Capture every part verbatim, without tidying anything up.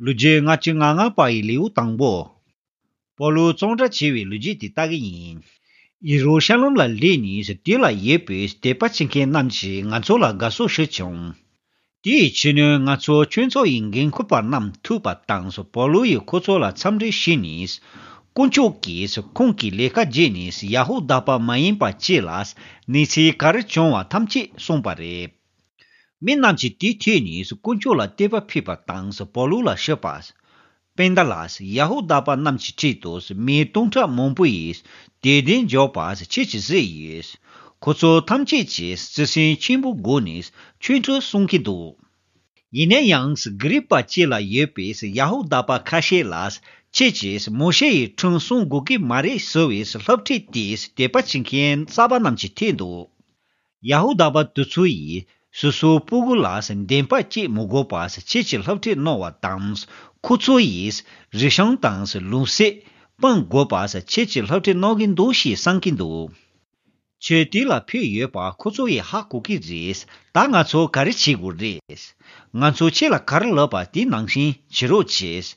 ལོ་རྒྱུས་ལྔ་བཅུ་ང་ལྔ་པ་ཡི་ལེའུ་དང་པོ། པོ་ལུ་གཙང་སྦྲ་བྱས་པའི་ལོ་རྒྱུས་དེ་ལྟ་གི་ཡིན། ཡེ་རུ་ཤ་ལམ་ལ་སླེབས་ནས་དེ་ལ་ཡོད་པའི་དད་པ་བྱེད་མཁན་རྣམས་ཀྱིས་ང་ཚོ་ལ་དགའ་བསུ་ཞུས་བྱུང་། དེའི་ཕྱི་ནས་ང་ཚོ་ཆོས་ཚོགས་ཡི་འགན་འཁུར་པ་རྣམས་ཐུག་པ་དང་། པོ་ལུ་ཡིས་ཁོ་ཚོ་ལ་འཚམས་འདྲི་ཞུས་ནས། དཀོན་མཆོག་གིས་ཁོང་གི་ལས་ཀ་བརྒྱུད་ནས་ཡ་ཧུ་དཱ་པ་མ་ཡིན་པ་བཅས་ལ་གནས་ཚུལ་ག་རེ་བྱུང་བ་ཐམས་ཅད་གསུངས་པ་རེད། མི་རྣམས་ཀྱིས་དེ་ཐོས་ནས་དཀོན་མཆོག་ལ་བསྟོད་པ་ཕུལ་བ་དང་། པོ་ལུ་ལ་ཞུས་པ། སྤུན་ཟླ་ལགས། ཡ་ཧུ་དཱ་པ་རྣམས་ཀྱི་ཁྲོད་དུ་མི་སྟོང་ཕྲག་མང་པོ་ཡིས་དད་ལྡན་འཇོག་པ་ཁྱེད་ཀྱིས་གཟིགས་ཡོད། ཁོ་ཚོ་ཐམས་ཅད་ཀྱིས་བརྩེ་སེམས་ཆེན་པོའི་སྒོ་ནས་ཆོས་ཁྲིམས་སྲུང་གི་འདུག་ཡིན་ན་ཡང་། གྷི་རིག་པ་བཅས་ལ་ཡོད་པའི་ཡ་ཧུ་དཱ་པ་ཁ་ཤས་ལ། ཁྱེད་ཀྱིས་མོ་ཤེ་ཡི་ཁྲིམས་སྲུང་དགོས་ཀྱི་མ་རེད་ཟེར་བའི་སློབ་ཁྲིད་དེ་དད་པ་བྱེད་མཁན་གསར་པ་རྣམས་ཀྱིས་ཐོས་འདུག་ཡ་ཧུ་དཱ་པ་དེ་ཚོ་ཡིས་སོ་སོའི་སྤུ་གུ་ལ་འདེམས་པ་བྱེད་མི་དགོས་པ་ཁྱེད་ཀྱིས་སློབ་ཁྲིད་གནང་བ་དང་། ཁོ་ཚོ་ཡིས་རིགས་ཞེན་དང་ལུག་སྲེད་སྤང་དགོས་པ་ཁྱེད་ཀྱིས་སློབ་ཁྲིད་གནང་གི་འདུག་ཞེས་གསུང་གི་འདུག་ཆོས་དེ་ལ་ཕུལ་ཡོད་པ་ཁོ་ཚོ་ཡིས་ཧ་གོ་གི་རེད། ད་ང་ཚོ་ག་རེ་བྱེད་དགོས་རེད། ང་ཚོ་ཁྱེད་ལ་ག་རེ་ལབ་པ་དེ་ནང་བཞིན་བྱེད་རོགས་བྱེད།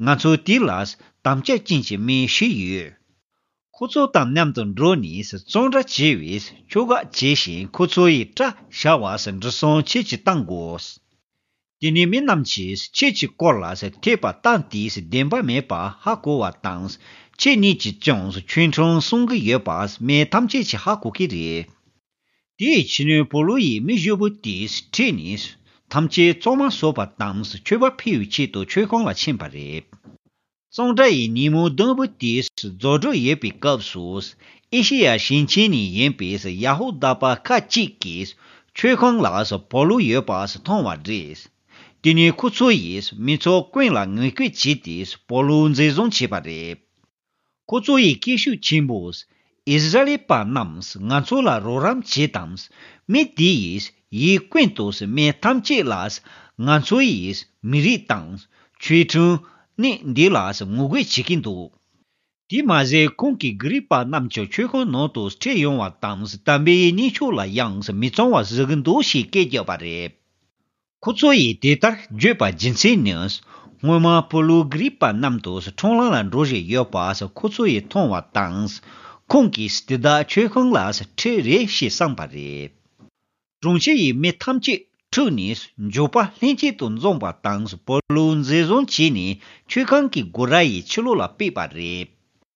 ང་ཚོ་དེ་ལ་དམ་བཅའ་ཅན་གྱི་མི་ཞིག་ཡོད། ཁོ་ཚོ་དང་མཉམ་དུ་འགྲོ་ནས་གཙང་སྦྲ་བྱས་པའི་ཆོ་ག་བྱས་ཤིང་ཁོ་ཚོ་ཡི་སྐྲ་བཞར་བ་འབྲི་སྲུང་ཁྱེད་ཀྱིས་གཏང་དགོས། དེ་ནས་མི་རྣམས་ཀྱིས་ཁྱེད་ཀྱི་སྐོར་ལ་འཐད་པ་ལྟ་དེས་བདེན་པ་མེད་པ་ཧ་གོ་བ་དང་། ཁྱེད་གཉིས་ཀྱིས་ཀྱང་ཆོས་ཁྲིམས་སྲུང་གི་ཡོད་པ་མི་ཐམས་ཅད་ཀྱིས་ཧ་གོ་གི་རེད། དེའི་ཕྱི་ནས་པོ་ལུ་ཡིས་མི་བཞི་པོ་དེས་ཁྲིད་ནས་ཐམས་ཅད་གཙང་མ་བཟོ་བ་དང་མཆོད་པ་ཕུལ་བའི་ཆེད་དུ་མཆོད་ཁང་ལ་ཕྱིན་པ་རེད། གཙང་སྦྲ་ཡི་ཉིན་མོ་བདུན་པོ་དེ་རྫོགས་འགྲོ་ཡོད་པའི་སྐབས་སུ། ཨེ་ཤེ་ཡ་ཞིང་ཆེན་ནས་ཡིན་པའི་ཡ་ཧུ་དཱ་པ་ཁག་ཅིག་གིས་མཆོད་ཁང་ལ་པོ་ལུ་ཡོད་པ་མཐོང་བ་རེད། དེ་ནས་ཁོ་ཚོ་ཡིས་མི་ཚོ་ཀུན་ལ་ངན་སྐུལ་བྱས་ཏེ་པོ་ལུ་འཛིན་བཟུང་བྱས་པ་རེད། ཁོ་ཚོ་ཡི་སྐད་ཤུགས་ཆེན་པོས། ཨིསི་ར་ཨེལ་པ་རྣམས་ང་ཚོ་ལ་རོགས་རམ་བྱེད་དང་། མི་དེ་ཡིས་ཡིད་ཀུན་ཏུ་མི་ཐམས་ཅད་ལ་ང་ཚོ་ཡིས་མི་རིགས་དང་ཆོས་ཁྲིམས་ནི་འདི་ལ་ངོ་རྒོལ་བྱེད་ཀྱིན་འདུག་དེ་མ་ཟད་ཁོང་གིས་གྷི་རིག་པ་རྣམས་ཀྱི་མཆོད་ཁང་ནང་དུ་ཁྲིད་ཡོང་བ་དང་དམ་པའི་གནས་མཆོག་ལ་ཡང་མི་གཙང་བ་བཟོ་གི་འདུག་ཞེས་སྐད་བརྒྱབ་པ་རེད། ཁོ་ཚོ་ཡིས་དེ་ལྟར་བརྗོད་པ་རྒྱུ་མཚན་ནི། སྔོན་མ་པོ་ལུ་གྷི་རིག་པ་རྣམས་དུ་ཁྲོམ་ལམ་ལ་འགྲོ་བཞིན་ཡོད་པ་ཁོ་ཚོ་ཡིས་མཐོང་བ་དང་། ཁོང་གིས་དེ་དག་མཆོད་ཁང་ལ་ཁྲིད་རེད་ཞེས་བསམས་པ་རེད། དྲུང་ཆེ་ཡིས་མི་ཐམས་ཅད་ཁྲིད་ནས་འཇོག་པ་ལྷན་སྐྱེས་དུ་འཛོམས་པ་དང་པོ་ལུ་འཛིན་བཟུང་བྱས་ནས་མཆོད་ཁང་གི་སྒོ་ར་ཡི་ཕྱི་ལོགས་ལ་ཕུད་པ་རེད།